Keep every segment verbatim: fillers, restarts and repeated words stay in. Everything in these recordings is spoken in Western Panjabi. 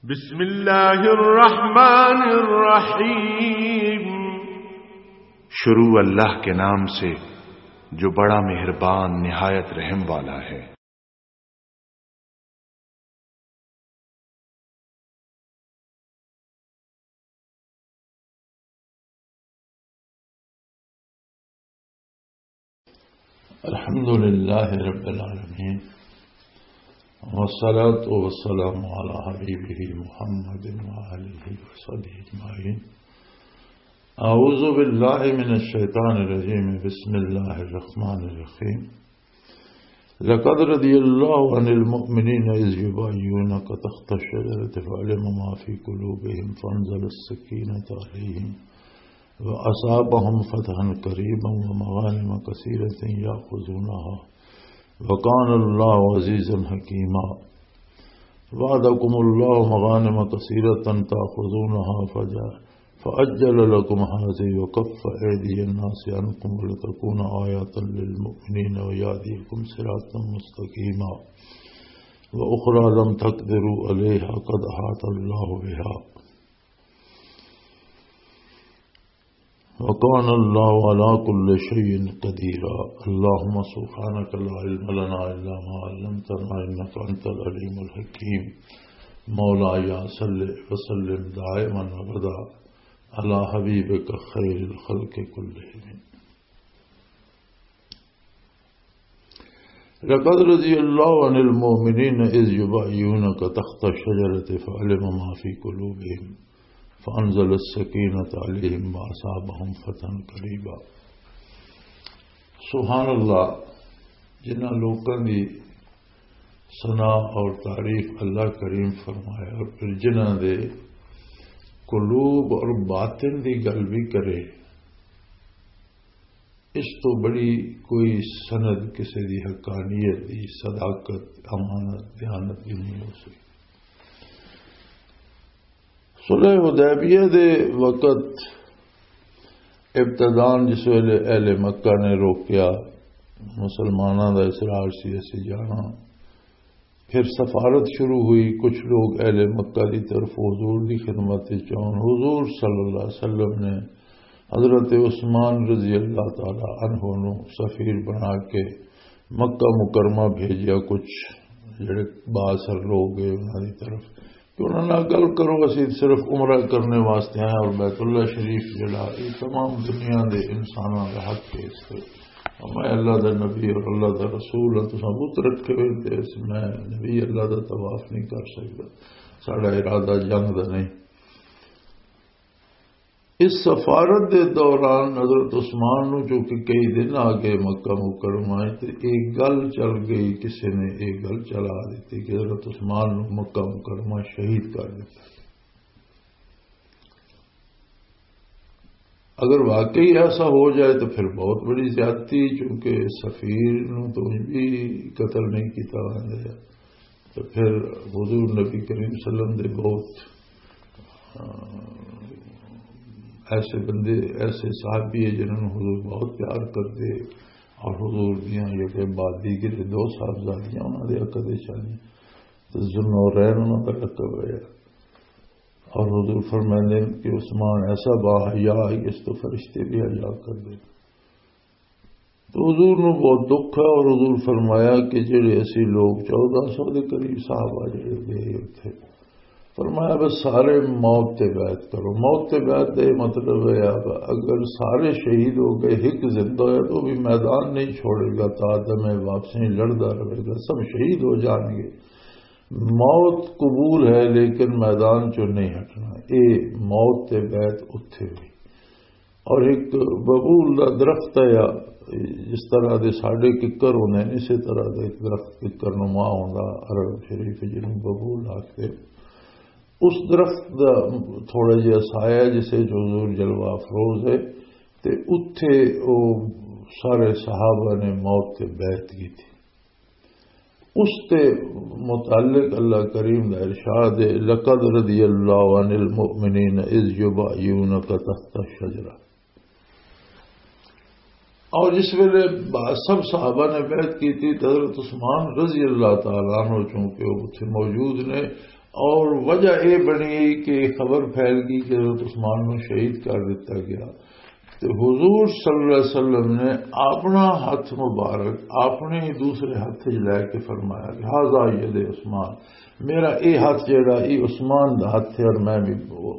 بسم اللہ الرحمن الرحیم۔ شروع اللہ کے نام سے جو بڑا مہربان نہایت رحم والا ہے۔ الحمد لله رب العالمين، والصلاة والسلام على حبيبه محمد وآله وصحبه أجمعين. أعوذ بالله من الشيطان الرجيم. بسم الله الرحمن الرحيم. لقد رضي الله عن المؤمنين إذ يبايعونك تحت الشجرة فعلم ما في قلوبهم فأنزل السكينة عليهم وأصابهم فتحا قريبا ومغانم كثيرة يأخذونها وكان الله عزيزا حكيما. وعدكم الله مغانم كثيرة تأخذونها فج- فعجل لكم هذه وكف أيدي الناس عنكم ولتكون آية للمؤمنين ويهديكم صراطا مستقيما. وأخرى لم تقدروا عليها قد أحاط الله بها. وكان الله على كل شيء قديرا. اللهم سبحانك لا علم لنا إلا ما علمتنا إنك أنت العليم الحكيم. مولاي صل وسلم دائما أبدا على حبيبك خير الخلق كلهم. لقد رضي الله عن المؤمنين إذ يبايعونك تحت الشجرة فعلم ما في قلوبهم فأنزل السكينة عليهم وأصابهم فتحا قريبا. سبحان اللہ، جنہاں لوکاں دی ثنا اور تعریف اللہ کریم فرمایا اور پھر جنہاں دے قلوب اور باطن دی گل بھی کرے، اس تو بڑی کوئی سند کسی دی حقانیت دی، صداقت، امانت، دیانت دی نہیں ہو سکتی۔ صلح حدیبیہ دے وقت ابتدان جس ویلے اہل مکہ نے روکیا، مسلماناں دا اصرار سی اسی جانا، پھر سفارت شروع ہوئی، کچھ لوگ اہل مکہ دی طرف حضور دی خدمت وچ آن۔ حضور صلی اللہ علیہ وسلم نے حضرت عثمان رضی اللہ تعالی عنہ نو سفیر بنا کے مکہ مکرمہ بھیجیا۔ کچھ جڑے بااثر لوگ ہیں انہاں دی طرف کہ انہاں نال گل کرو، اسی صرف عمرہ کرنے واسطے آئے اور بیت اللہ شریف جڑا یہ تمام دنیا دے انساناں دا حق ہے۔ اس تے میں اللہ دا نبی اور اللہ دا رسول ہاں، تساں بت رکھے ہوئے تے اس، میں نبی اللہ دا طواف نہیں کر سکدا، ساڈا ارادہ جنگ دا نہیں۔ اس سفارت دے دوران حضرت عثمان نو چونکہ کئی دن آ گئے مکہ مکرمہ وچ، تے ایک گل چل گئی، کسے نے ایک گل چلا دیتی کہ حضرت عثمان نو مکہ مکرمہ شہید کر دیتا۔ اگر واقعی ایسا ہو جائے تو پھر بہت بڑی زیادتی، چونکہ سفیر نو تو انج بھی قتل نہیں کیتا جانا۔ تو پھر حضور نبی کریم صلی اللہ علیہ وسلم دے بہت، آ، ایسے بندے، ایسے صحابی ہیں جنہوں نے حضور بہت پیار کرتے اور حضور دیاں یہ کہ بعد دیگر دو صاحبزادیاں انہاں دے عقد چاہیے۔ تو ذوالنورین انہاں دا لقب ہے۔ اور حضور فرماندے ہیں کہ عثمان ایسا باحیا ہے کہ اس تو فرشتے بھی حیا کر دے۔ تو حضور نو بہت دکھ ہے اور حضور فرمایا کہ جڑے اسی لوگ چودہ سو دے قریب صحابہ جڑے گئے اتھے، فرمایا بس سارے موت تے بیعت کرو۔ موت تے بیعت دا یہ مطلب ہے اب اگر سارے شہید ہو گئے، ایک زندہ ہویا تو بھی میدان نہیں چھوڑے گا، تا دم واپس نہیں، لڑدا رہے گا، سب شہید ہو جان گے۔ موت قبول ہے لیکن میدان چوں نہیں ہٹنا۔ اے موت تے بیعت اتھے ہوئی۔ اور ایک ببول دا درخت ہے، یا جس طرح دے ساڈے ککر ہوندے نے، اسی طرح دا ایک درخت ککر نما ہوندا عرب شریف جنوں ببول آکھدے۔ اس درخت دا تھوڑا جہا سایہ جسے جو حضور جلوہ افروز ہے، تے اتھے او سارے صحابہ نے موت تے بیعت کی تھی۔ اس تے متعلق اللہ کریم دا ارشاد ہے، "لقد رضی اللہ عن المؤمنین اذ یبایعونک تحت الشجرہ۔" اور جس ویلے با-، سب صحابہ نے بیعت کی تھی، تو حضرت عثمان رضی اللہ تعالیٰ عنہ چونکہ وہ اتھے موجود نے، اور وجہ یہ بنی کہ خبر پھیل گئی کہ حضرت عثمان نو شہید کر دیتا گیا۔ تے حضور صلی اللہ علیہ وسلم نے اپنا ہاتھ مبارک اپنے دوسرے ہاتھ وچ لے کے فرمایا کہ "ھذا ید عثمان"، میرا اے ہاتھ جڑا، اے عثمان دا ہاتھ ہے اور میں بھی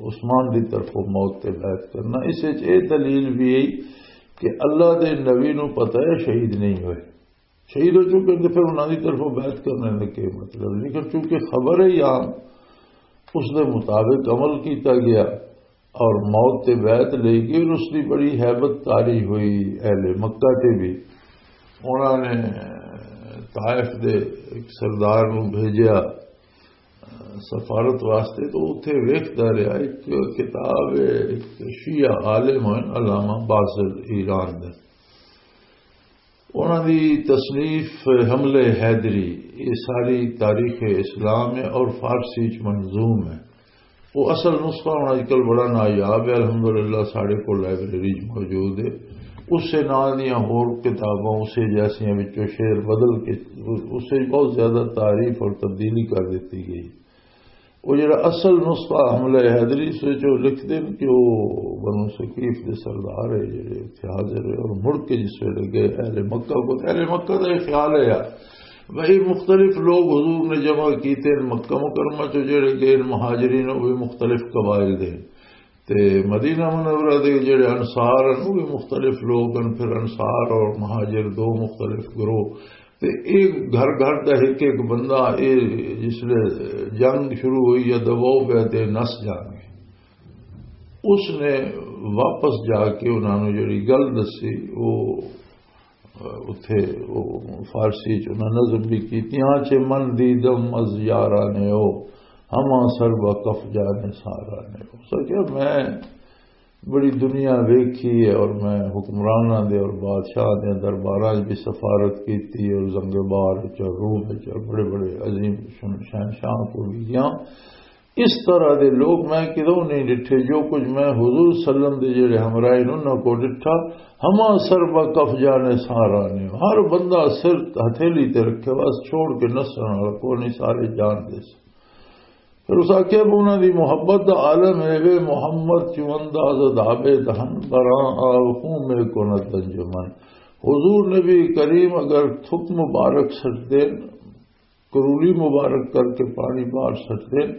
عثمان دی طرفوں موت تے بیعت کرنا۔ اس وچ اے دلیل بھی ہے کہ اللہ دے نبی نو پتہ ہے شہید نہیں ہوئے، شہید ہو چکے تے پھر انہاں دی طرفوں بیعت کرنے دا کی مطلب؟ لیکن چونکہ خبر ہے عام، اس دے مطابق عمل کیتا گیا اور موت تے بیعت لے گئی اور اس دی بڑی ہیبت طاری ہوئی اہل مکہ تے بھی۔ انہاں نے طائف دے ایک سردار نو بھیجیا سفارت واسطے، تو اتھے ویکھدا رہیا، ایک کتاب ہے، ایک شیعہ عالم ہیں علامہ بازل ایران دے، انہاں دی تصنیف حملہ حیدری، یہ ساری تاریخ اسلام ہے اور فارسی چ منظوم ہے۔ وہ اصل نسخہ ہن اج کل بڑا نایاب ہے، الحمدللہ ساڈے کول لائبریری چ موجود ہے۔ اسے ناں دیاں ہور کتاباں اسے جیسیاں وچوں شعر بدل کے اسے بہت زیادہ تعریف اور تبدیلی کر دتی گئی۔ وہ جڑا اصل نسخہ حملہ حیدری، اس وچ وہ لکھدے نے کہ وہ بنو ثقیف دے سردار ہے جڑے اتھے حاضر ہے اور مڑ کے جس ویلے گئے اہل مکہ کو، اہل مکہ دا یہ خیال ہے یار بھائی، مختلف لوگ حضور نے جمع کیتے ہیں مکہ مکرمہ چ، جڑے گئے مہاجرین، وہ بھی مختلف قبائل دے، تے مدینہ منورہ دے جڑے انصار ہیں، وہ بھی مختلف لوگ ہیں۔ پھر انصار اور مہاجر دو مختلف گروہ، تے ایک گھر گھر دا ایک ایک بندہ، اے جس لے جنگ شروع ہوئی یا دباؤ پیا تے نس جان گے۔ اس نے واپس جا کے انہاں نوں جڑی گل دسی، وہ اتھے وہ فارسی چ انہاں نظم بھی کیتی، "آنچے من دیدم از یاران او، ہما سر با کف جان ساران او۔" اس نے کہا، میں بڑی دنیا ویکھی ہے اور میں حکمراناں دے اور بادشاہ دے درباراں وچ بھی سفارت کیتی اور زنگ بار وچ اور روم وچ اور بڑے بڑے عظیم شہنشاہ کو بھی گیا۔ اس طرح دے لوگ میں کدوں نہیں ڈٹھے، جو کچھ میں حضور صلی اللہ علیہ وسلم دے جڑے ہمراہ نے انہاں کو ڈٹھا، ہما سر با کف جانے سارا نے، ہر بندہ سر ہتھیلی تے رکھے، بس چھوڑ کے نسن والا کوئی نہیں، سارے جان دے سن۔ پھر اس آکھیا بھی انہاں دی محبت دا عالم ہے، وے محمد چون دا زدابے دہن براں آو خون میں کند انجمن۔ حضور نبی کریم اگر تھک مبارک سٹ دین، کرولی مبارک کر کے پانی باہر سٹ دین،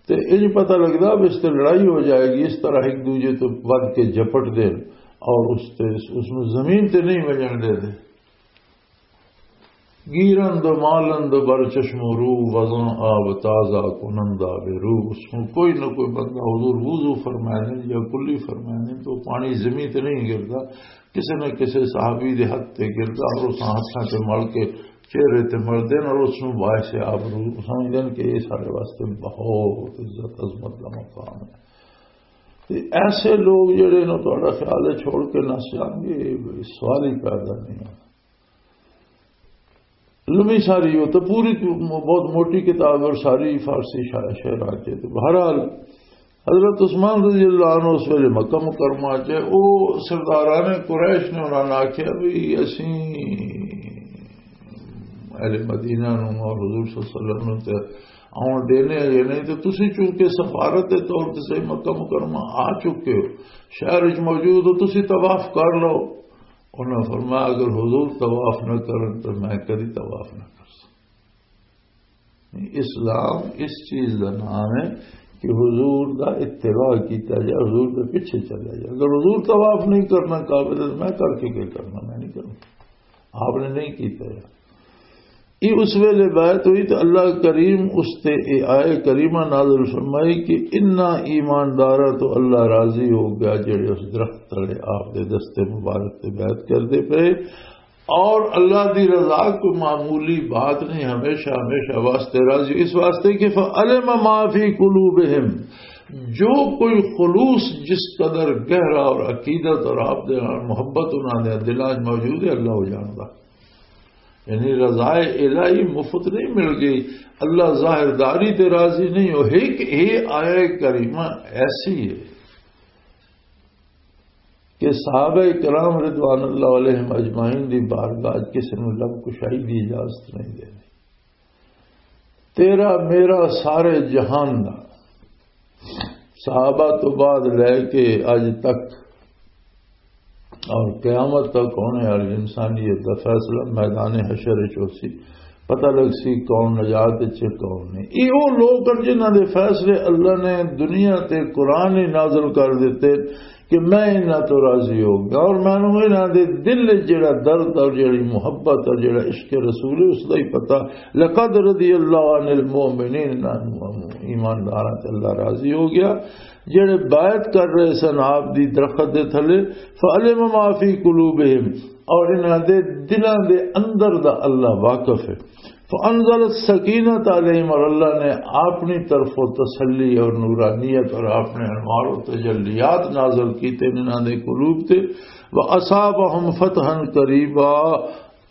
تے انج پتہ لگدا بھی اس تے لڑائی ہو جائے گی، اس طرح ایک دوجے تو ود کے جھپٹ دین اور اس تے، اس نو زمین تے نہیں وجن دے دے۔ گیرند و مالند بر چشم و رو، وزن آب تازہ کنند آب رو۔ اس میں کوئی نہ کوئی بندہ حضور وضو فرمائے نے یا کلی فرمائے نے، تو پانی زمین تے نہیں گردا، کسے نہ کسے صحابی دے ہتھ تے گردا اور اس ہتھاں تے مل کے چہرے تے ملدے نے اور اس نوں باعث آبرو سمجھدے نے کہ یہ سارے واسطے بہت عزت عظمت دا مقام ہے۔ تے ایسے لوگ جڑے نے تہاڈا خیال ہے چھوڑ کے نس جان گے، یہ سوال ہی پیدا نہیں ہے۔ لمبی ساری ہو تو پوری بہت موٹی کتاب ہے اور ساری فارسی شاعر شعر آ کے۔ تو بہرحال حضرت عثمان رضی اللہ عنہ اس ویلے مکہ مکرمہ چ، او سرداران قریش نے انہاں نے آکھیا بھی اسی اہل مدینہ نوں اور حضور صلی اللہ علیہ وسلم نوں تے آن دینے ہیں یا نہیں، تو تسی چونکہ سفارت دے طور تے صحیح مکہ مکرمہ آ چکے ہو، شہر وچ موجود ہو، تسی طواف کر لو۔ انہاں فرمایا، "اگر حضور طواف نہ کرن تو میں کدی طواف نہ کر سکتا۔" اسلام اس چیز دا نام ہے کہ حضور دا اتباع کیتا جائے، حضور دے پیچھے چلا جائے۔ اگر حضور طواف نہیں کرنا کعبے دے، تو میں کر کے کیا کرنا؟ میں نہیں کرنا۔ آپ نے نہیں کیتا ہے۔ یہ اس ویلے بیعت ہوئی تو اللہ کریم اس تے اے آئے کریمہ نازل فرمائی کہ انا ایماندارا تو اللہ راضی ہو گیا جڑے اس درخت تلے آپ دے دستے مبارک تے بیعت کر دے پے۔ اور اللہ دی رضا کوئی معمولی بات نہیں، ہمیشہ ہمیشہ واسطے راضی۔ اس واسطے کہ فعلم ما فی قلوبہم، جو کوئی خلوص جس قدر گہرا اور عقیدت اور آپ دے نال محبت انہاں دے دلاں وچ موجود ہے، اللہ وہ جاندا۔ یعنی رضائے الہی مفت نہیں مل گئی، اللہ ظاہرداری تے راضی نہیں ہو۔ ایک یہ آیہ کریمہ ایسی ہے کہ صحابہ کرام رضوان اللہ علیہم اجمعین دی بارگاہ وچ کسی نوں لب کشائی دی اجازت نہیں دینی۔ تیرا میرا سارے جہان دا، صحابہ تو بعد لے کے اج تک اور قیامت تک ہونے والی انسانیت دا فیصلہ میدان حشر وچ ہوسی۔ پتہ لگ سی کون نجات وچ ہے، کون نہیں۔ یہ وہ لوگ ہیں جنہاں دے فیصلے اللہ نے دنیا تے قرآن ہی نازل کر دیتے کہ میں انہاں تو راضی ہو گیا، اور مینوں انہاں دے دل وچ جڑا درد اور جڑی محبت اور جڑا عشق رسول ہے، اس دا ہی پتہ۔ لقد رضی اللہ عن المؤمنین، انہاں نوں ایمانداراں تے اللہ راضی ہو گیا، جڑے بیعت کر رہے سن آپ دی درخت دے تھلے۔ فعلم ما فی قلوبہم، اور انہاں دے دلاں دے اندر دا اللہ واقف ہے۔ فانزل السکینۃ علیہم، اور اللہ نے اپنی طرفوں تسلی اور نورانیت اور اپنے انوار و تجلیات نازل کیتے انہاں دے قلوب تے۔ واصابہم فتحا قریبا،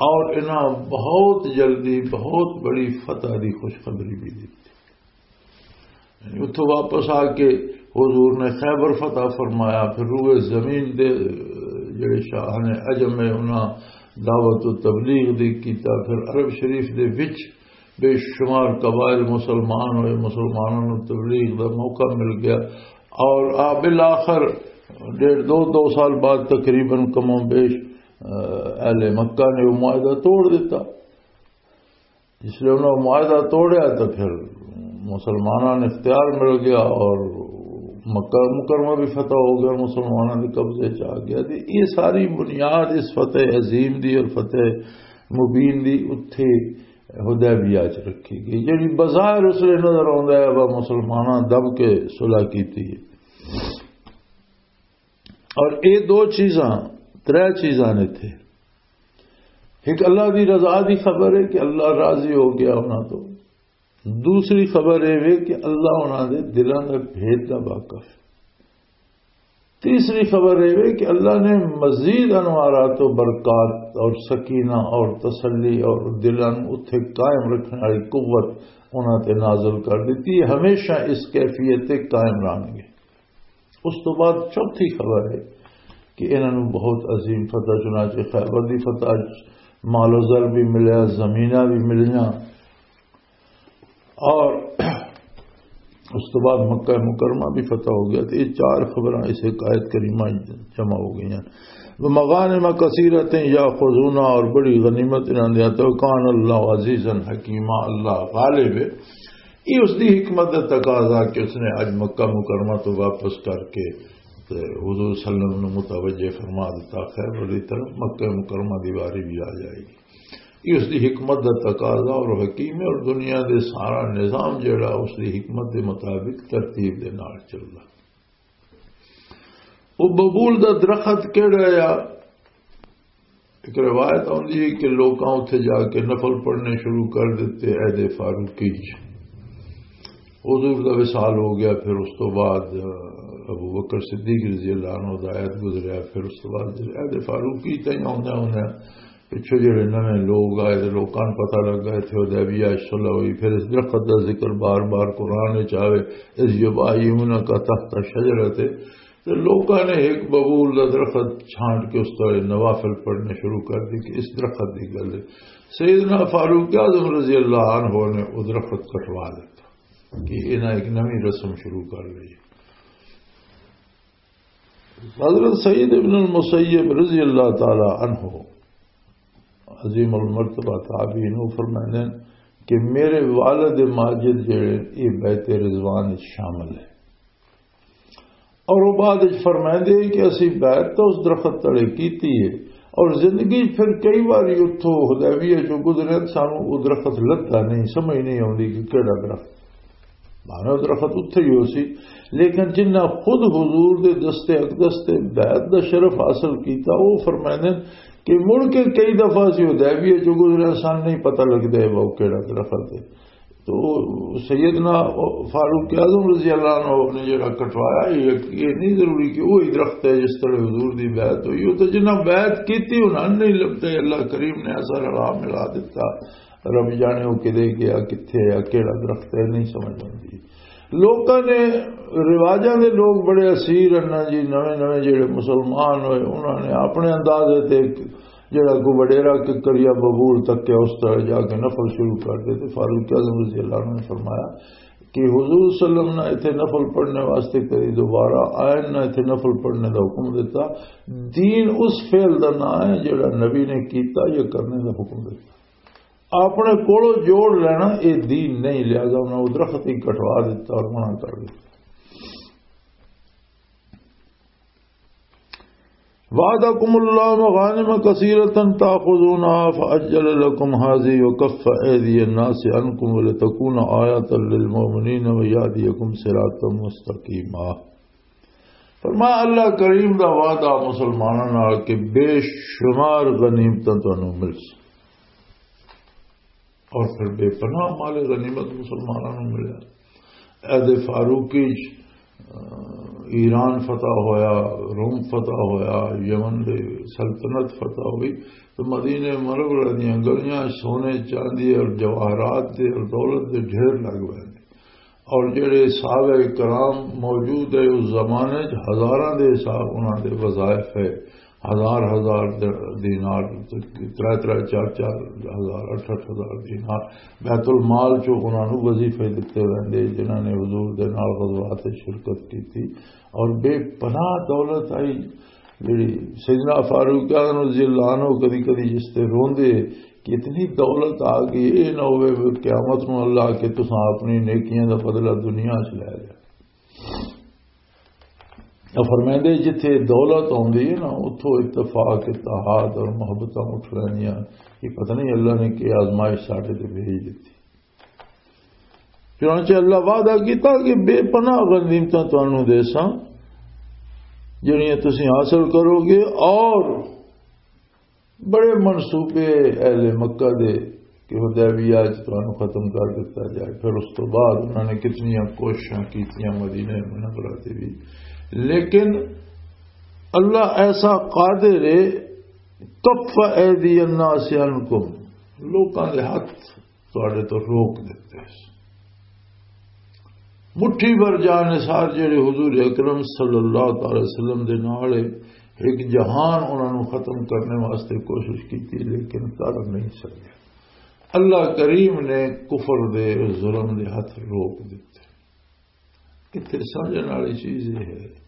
اور انہاں بہت جلدی بہت بڑی فتح دی خوشخبری بھی دیتی۔ یعنی اتھوں واپس آ کے حضور نے خیبر فتح فرمایا، پھر روئے زمین دے جڑے شاہ نے عجم ہے، انہاں دعوت و تبلیغ دی کیتا، پھر عرب شریف دے وچ بے شمار قبائل مسلمان ہوئے، مسلمانوں نوں تبلیغ دا موقع مل گیا، اور آ بالآخر ڈیڑھ دو، دو سال بعد تقریباً کم و بیش، آ، اہل مکہ نے وہ معاہدہ توڑ دیتا۔ جس لئے انہوں نے معاہدہ توڑیا تو پھر مسلمانوں نے اختیار مل گیا اور مکہ مکرمہ بھی فتح ہو گیا، مسلمانوں کے قبضے چ آ گیا۔ تے یہ ساری بنیاد اس فتح عظیم دی اور فتح مبین دی اتھے حدیبیہ چ رکھی گئی، جڑی بظاہر اس لیے نظر آتا ہے وہ مسلمانوں دب کے صلح کی تھی۔ اور یہ دو چیزاں، ترے چیزاں نے تھے۔ ایک اللہ دی رضا دی خبر ہے کہ اللہ راضی ہو گیا انہاں تو۔ دوسری خبر یہ وے کہ اللہ انہاں دے دلاں دے بھید دا واقف ہے۔ تیسری خبر یہ وے کہ اللہ نے مزید انوارات و برکات اور سکینہ اور تسلی اور دلاں نوں اتھے قائم رکھنے والی قوت انہاں تے نازل کر دیتی ہے۔ ہمیشہ اس کیفیت تے قائم رہن گے۔ اس تو بعد چوتھی خبر ہے کہ انہاں نوں بہت عظیم فتح، چنانچہ خیبر دی فتح، مال و زر بھی ملیا، زمیناں بھی ملیاں، اور اس تو بعد مکہ مکرمہ بھی فتح ہو گیا۔ تو یہ چار خبراں اس ایک آیت کریمہ جمع ہو گئی ہیں۔ ومغانم کثیرۃ یاخذونہا، اور بڑی غنیمت انہاں دیا۔ تو کان اللہ عزیزا حکیما، اللہ غالب ہے۔ یہ اس دی حکمت دا تقاضا کہ اس نے اج مکہ مکرمہ تو واپس کر کے تے حضور صلی اللہ علیہ وسلم نوں متوجہ فرما دیتا، خیبر دی طرف مکہ مکرمہ دی واری بھی آ جائے گی۔ یہ اس دی حکمت دا تقاضا اور حکیم ہے، اور دنیا دے سارا نظام جڑا اس دی حکمت دے مطابق ترتیب دے نال چلدا۔ وہ ببول دا درخت کیڑا آ؟ ایک روایت آندی ہے کہ لوکاں اتھے جا کے نفل پڑھنے شروع کر دیتے عہد فاروقی چ۔ حضور دا وصال ہو گیا، پھر اس تو بعد ابو بکر صدیق رضی اللہ عنہ دا عہد گزریا، پھر اس تو بعد عہد فاروقی تائیں آندے آندے پچھو جڑے نویں لوگ آئے تے لوکاں نوں پتہ لگا اتھے حدیبیہ چ صلح ہوئی، پھر اس درخت دا ذکر بار بار قرآن وچ آوے، اذ یبایعونک تحت الشجرۃ، تے لوکاں نے ایک ببول دا درخت چھانٹ کے اس تلے نوافل پڑھنے شروع کر دی کہ اس درخت دی گل ہے۔ سیدنا فاروق اعظم رضی اللہ عنہ نے وہ درخت کٹوا دیتا کہ انہاں ایک نویں رسم شروع کر لی۔ حضرت سعید ابن المسیب رضی اللہ تعالی عنہ، عظیم المرتبہ تابعین، وہ فرماندے ہیں کہ میرے والد ماجد جڑے، یہ بیت رضوان وچ شامل ہے۔ اور وہ بعد وچ فرماندے ہیں کہ اسی بیعت تو اس درخت تلے کیتی ہے، اور زندگی پھر کئی بار اتھوں حدیبیہ چوں گزرے، سانوں وہ درخت لبھدا نہیں، سمجھ نہیں آندی کہ کیڑا درخت۔ بھاویں درخت اتھے ہی ہو سی، لیکن جنہ خود حضور دے دستے اقدس تے بیعت دا شرف حاصل کیتا، وہ فرماندے ہیں کہ مڑ کے کئی دفعہ سی حدیبیہ چوں گزرے، سان نہیں پتہ لگدا ہے وہ کیڑا درخت ہے۔ تو سیدنا فاروق اعظم رضی اللہ عنہ نے جڑا کٹوایا، یہ، یہ نہیں ضروری کہ وہی درخت ہے جس طرح حضور دی بیعت ہوئی۔ وہ تو جنہاں بیعت کیتی، انہاں نہیں لبھدے، اللہ کریم نے ایسا رلا ملا دیتا۔ رب جانے وہ کدے گیا، کتھے آ، کیڑا درخت ہے، نہیں سمجھ آندی۔ لوکاں نے، رواجاں دے لوگ بڑے اسیر ہیں نا جی، نویں نویں جڑے مسلمان ہوئے، انہاں نے اپنے اندازے تے جڑا کوئی وڈیرا ککر یا ببول تک کے اس طرح جا کے نفل شروع کر دے، تو فاروق اعظم رضی اللہ عنہ نے فرمایا کہ حضور صلی اللہ علیہ وسلم نے اتنے نفل پڑھنے واسطے کدی دوبارہ آئے نہ، اتنے نفل پڑھنے دا حکم دیتا۔ دین اس فعل دا نام ہے جڑا نبی نے کیتا یا کرنے دا حکم دیتا۔ اپنے کولوں جوڑ لینا، یہ دین نہیں، لہذا انہاں وہ درخت ہی کٹوا دیتا اور منع کر دیتا۔ وعدکم اللہ مغانم کثیرة تاخذونها فعجل لکم هذه وکف ایدی الناس عنکم ولتکون آیة للمؤمنین ویهدیکم صراطا مستقیما۔ فرمایا، اللہ کریم دا وعدہ مسلماناں نال کہ بے شمار غنیمتاں تانوں مل سی، اور پھر بے پناہ مال غنیمت مسلماناں نوں ملیا۔ عہد فاروقی چ، آ، ایران فتح ہویا، روم فتح ہویا، یمن دے سلطنت فتح ہوئی، تو مدینہ منورہ دیاں گلیاں سونے، چاندی اور جواہرات دے اور دولت دے ڈھیر لگ پے نے۔ اور جڑے صحابہ کرام موجود ہے اس زمانے چ، ہزاراں دے حساب انہاں دے وظائف ہے، ہزار ہزار د-، دینار، ترے ترے چار چار ہزار، اٹھ اٹھ ہزار دینار بیت المال چوں انہاں نوں وظیفے دتے ویندے، جنہاں نے حضور دے نال غزوات وچ شرکت کیتی۔ اور بے پناہ دولت آئی، جڑی سیدنا فاروق اعظم رضی اللہ عنہ کدی کدی جس تے روندے کہ اتنی دولت آ گئی، اے نہ ہوئے کہ قیامت نوں اللہ کہ تساں اپنی نیکیاں دا بدلہ دنیا چ لے لیا۔ تو فرمائندے، جتھے دولت آندی ہے نا، اتھوں اتفاق، اتحاد اور محبتاں اٹھ رہنیاں۔ یہ پتہ نہیں اللہ نے کی آزمائش ساڈے تے بھیج دتی۔ چنانچہ اللہ وعدہ کیتا کہ بے پناہ غنیمتاں تانوں دے ساں، جڑیاں تسی حاصل کرو گے، اور بڑے منصوبے اہل مکہ دے کہ حدیبیہ وچ تانوں ختم کر دتا جائے۔ پھر اس تو بعد انہوں نے کتنیاں کوششاں کیتیاں مدینہ منورہ تے بھی، لیکن اللہ ایسا قادر ہے، کف ایدی الناس عنکم، لوکاں دے ہاتھ تواڈے تو روک دتے۔ مٹھی بھر جان نثار جڑے حضور اکرم صلی اللہ تعالی وسلم دے نال ہے، ایک جہان انہاں نوں ختم کرنے واسطے کوشش کیتی، لیکن کر نہیں سکے۔ اللہ کریم نے کفر دے، ظلم دے ہاتھ روک دتے۔ کتنے سمجھنے والی چیز یہ ہے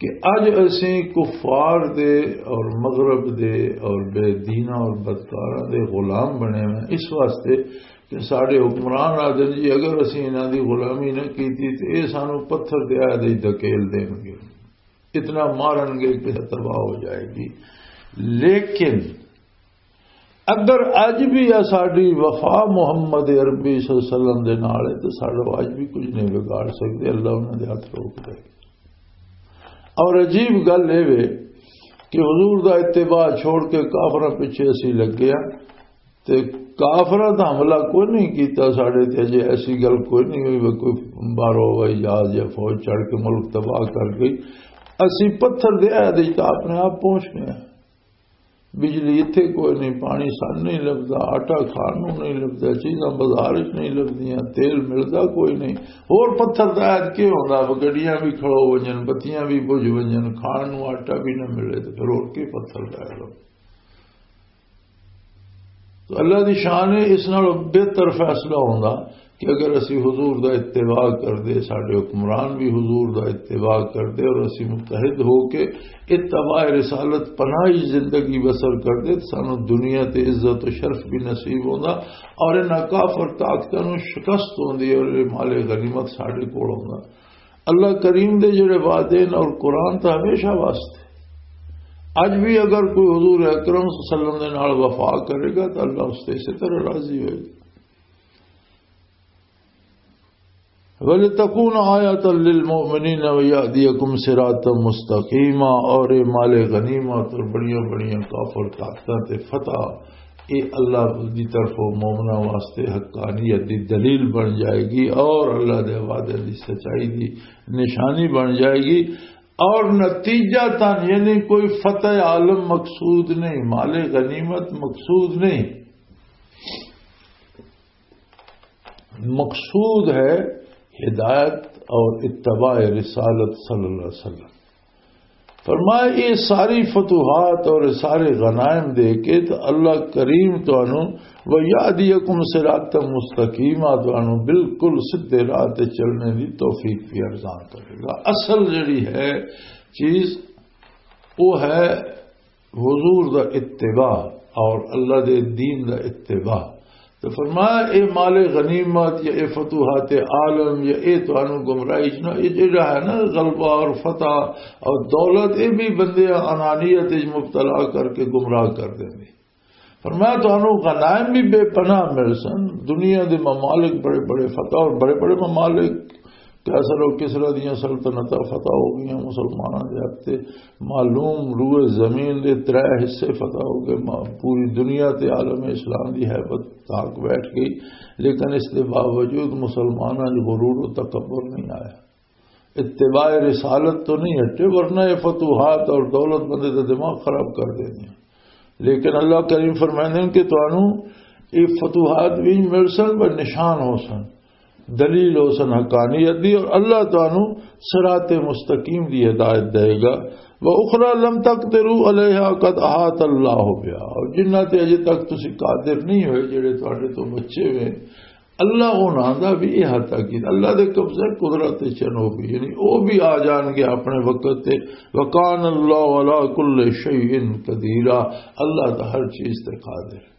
کہ اج اسی کفار دے اور مغرب دے اور بے دینہ اور بدکاراں دے غلام بنے ہوئے ہیں، اس واسطے کہ ساڈے حکمران آدھے جی، اگر اسی انہاں دی غلامی نہ کیتی تے اے سانو پتھر دے آئے دے دھکیل دین گے، اتنا مارن گے کہ تباہ ہو جائے گی۔ لیکن اگر اج بھی ساڈی وفا محمد عربی صلی اللہ علیہ وسلم دے نال ہے، تو ساڈا اج بھی کچھ نہیں بگاڑ سکدے، اللہ انہاں دے ہاتھ روک دے۔ اور عجیب گل اے وے کہ حضور دا اتباع چھوڑ کے کافراں پیچھے اسی لگے ہاں، تے کافراں دا حملہ کوئی نہیں کیتا ساڈے تے، اجے ایسی گل کوئی نہیں ہوئی وے کوئی باہروں ہوائی جہاز یا فوج چڑھ کے ملک تباہ کر گئی۔ اسی پتھر دے عہد وچ تاں اپنے آپ پہنچ گئے ہاں۔ بجلی اتھے کوئی نہیں، پانی سن نہیں لبدا، آٹا کھان نوں نہیں لبدا، چیزاں بازار وچ نہیں لبدیاں، تیل ملدا کوئی نہیں۔ ہور پتھر دا عہد کی ہوندا؟ گڈیاں بھی کھلو ونجن، بتیاں بھی بجھ ونجن، کھان نوں آٹا بھی نہ ملے، تے پھر ہور کی پتھر دا عہد ہوندا؟ تو اللہ دی شان ہے، اس نال بہتر فیصلہ ہوندا کہ اگر اسی حضور دا اتباع کر دے، ساڈے حکمران بھی حضور دا اتباع کر دے اور اسی متحد ہو کے اتباع رسالت پناہی زندگی بسر کر دے، تو سانو دنیا تے عزت و شرف بھی نصیب ہوندا اور انہاں کافر طاقتاں نوں شکست ہوندی ہے اور یہ مال غنیمت ساڈے کول ہوندا۔ اللہ کریم دے جڑے وعدے نے اور قرآن تو ہمیشہ واسطے۔ اج بھی اگر کوئی حضور اکرم صلی اللہ علیہ وسلم دے نال وفا کرے گا تو اللہ اس سے اسی طرح راضی ہوئے گا۔ وَلِتَكُونَ آيَةً لِلْمُؤْمِنِينَ وَيَهْدِيَكُمْ صِرَاطًا مُسْتَقِيمًا، اور یہ مال غنیمت اور بڑیاں بڑیاں کافر طاقتاں تے فتح، یہ اللہ دی طرفوں مومناں واسطے حقانیت دی دلیل بن جائے گی اور اللہ دے وعدے دی سچائی دی نشانی بن جائے گی۔ اور نتیجہ تن یعنی کوئی فتح عالم مقصود نہیں، مال غنیمت مقصود نہیں، مقصود ہے ہدایت اور اتباع رسالت صلی اللہ علیہ وسلم۔ فرمایا، یہ ساری فتوحات اور سارے غنائم دے کے تو اللہ کریم تانوں وَيَهْدِيَكُمْ صِرَاطًا مُسْتَقِيمًا، تانوں بالکل سیدھے راہ تے چلنے دی توفیق بھی ارزان کرے گا۔ اصل جڑی ہے چیز، وہ ہے حضور دا اتباع اور اللہ دے دین دا اتباع۔ تو فرمایا، اے مال غنیمت یا اے فتوحات عالم یا اے تانوں گمراہی چ نہ، اے جڑا ہے نا غلبہ اور فتح اور دولت، اے بھی بندے انانیت وچ مبتلا کر کے گمراہ کر دیندے۔ فرمایا، تانوں غنائم بھی بے پناہ مل سن، دنیا دے ممالک بڑے بڑے فتح اور بڑے بڑے ممالک، قیصر اور کسریٰ دیاں سلطنتاں فتح ہو گئیاں، مسلماناں دے ہاتھ تے معلوم روئے زمین دے ترے حصے فتح ہو گئے، ما-، پوری دنیا تے عالم اسلام دی ہیبت تاک بیٹھ گئی، لیکن اس دے باوجود مسلماناں جو غرور و تکبر نہیں آیا، اتباع رسالت تو نہیں ہٹے، ورنہ یہ فتوحات اور دولت مندی دا دماغ خراب کر دیندی۔ لیکن اللہ کریم فرمائندے ہیں کہ تانوں یہ فتوحات بھی مل سن، پر نشان ہو سن، دلیل ہو سن حقانیت دی، اور اللہ تانوں صراط مستقیم دی ہدایت دے گا۔ وَأُخْرَى لَمْ تَقْدِرُوا عَلَيْهَا قَدْ أَحَاطَ اللَّهُ بِهَا، اور جنہ تے اجے تک تسی قادر نہیں ہوئے، جڑے تواڈے تو بچے ہوئے، اللہ انہاں دا بھی احاطہ کیتا۔ اللہ دے قبضے قدرت تے چن ہو گئی، یعنی او بھی آ جان گے اپنے وقت تے۔ وَكَانَ اللَّهُ عَلَى كُلِّ شَيْءٍ قَدِيرًا، اللہ دا ہر چیز تے قادر۔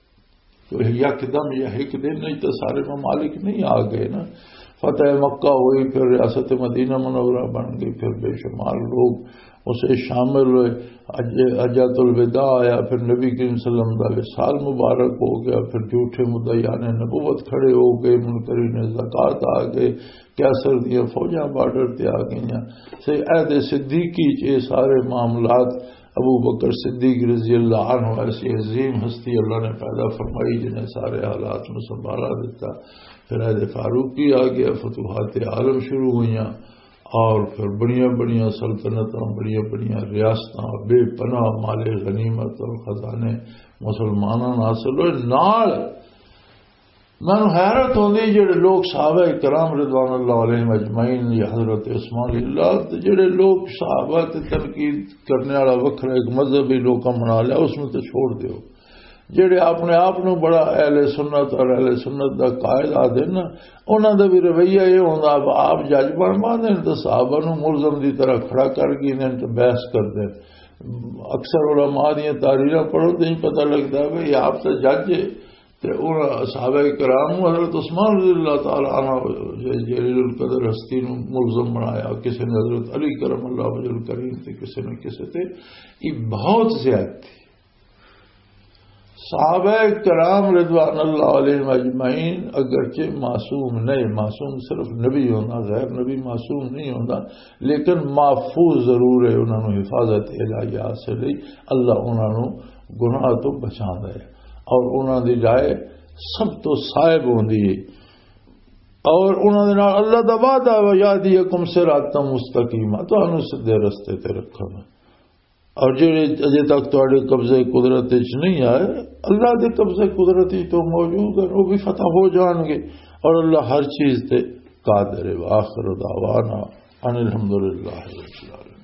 تو یکدم یا ایک دن نہیں تو سارے ممالک نہیں آ گئے نا۔ فتح مکہ ہوئی، پھر ریاست مدینہ منورہ بن گئی، پھر بے شمار لوگ اسے شامل ہوئے۔ حج-، حجۃ الوداع آیا، پھر نبی کریم صلی اللہ علیہ وسلم دا وصال مبارک ہو گیا، پھر جھوٹے مدعیان نبوت کھڑے ہو گئے، منکرین زکوٰۃ آ گئے، قیصر دیاں فوجاں بارڈر تے آ گئیاں۔ تے عہد صدیقی چ یہ سارے معاملات، ابو بکر صدیق رضی اللہ عنہ ایسی عظیم ہستی اللہ نے پیدا فرمائی جنہیں سارے حالات نو سنبھالا دیتا۔ پھر عہد فاروقی آ گیا، فتوحات عالم شروع ہوئیاں، اور پھر بڑیاں بڑیاں سلطنتاں، بڑیاں بڑیاں ریاستاں، بے پناہ مال غنیمت اور خزانے مسلمانوں نوں حاصل ہوئے۔ نال مینوں حیرت ہوندی، جڑے لوگ صحابہ کرام رضوان اللہ علیہم اجمعین یا حضرت عثمان رضی اللہ عنہ، تے جڑے لوگ صحابہ تے تنقید کرنے والا وکھرا ایک مذہبی لوکاں بنا لیا، اس نوں تے چھوڑ دیو۔ جڑے اپنے آپ نوں بڑا اہل سنت اور اہل سنت دا قائد آدھے نا، انہاں دا بھی رویہ یہ ہوندا، اب آپ جج بن باندے نے تے صحابہ نوں ملزم دی طرح کھڑا کر گئے نے تے بحث کردے۔ اکثر علماء دیاں تحریراں پڑھو تے ہی پتہ لگدا ہے بھئی آپ تے جج ہے۔ تے انہاں صحابہ کرام نوں حضرت عثمان رضی اللہ تعالی عنہ جلیل القدر ہستی نوں ملزم بنایا، کسے نے حضرت علی کرم اللہ وجہ الکریم تے کسے نے کسے تے۔ یہ بہت زیادتی۔ صحابہ کرام رضوان اللہ علیہم اجمعین اگرچہ معصوم نہیں، معصوم صرف نبی ہونا، غیر نبی معصوم نہیں ہونا، لیکن محفوظ ضرور ہے، انہاں نوں حفاظت الہی حاصل ہے، اللہ انہاں نوں گناہ تو بچاندا ہے اور انہاں دی رائے سب تو صاحب ہوندی ہے۔ اور انہاں دے نال اللہ دا وعدہ ہے، "وَيَهْدِيَكُمْ صِرَاطًا مُسْتَقِيمًا"، تانوں سیدھے رستے تے رکھنا۔ اور جڑے اجے تک تواڈے قبضے قدرت وچ نہیں آئے، اللہ دے قبضے قدرت وچ تو موجود ہیں، وہ بھی فتح ہو جان گے۔ اور اللہ ہر چیز تے قادر ہے۔ وآخر دعوانا ان الحمدللہ رب العالمین۔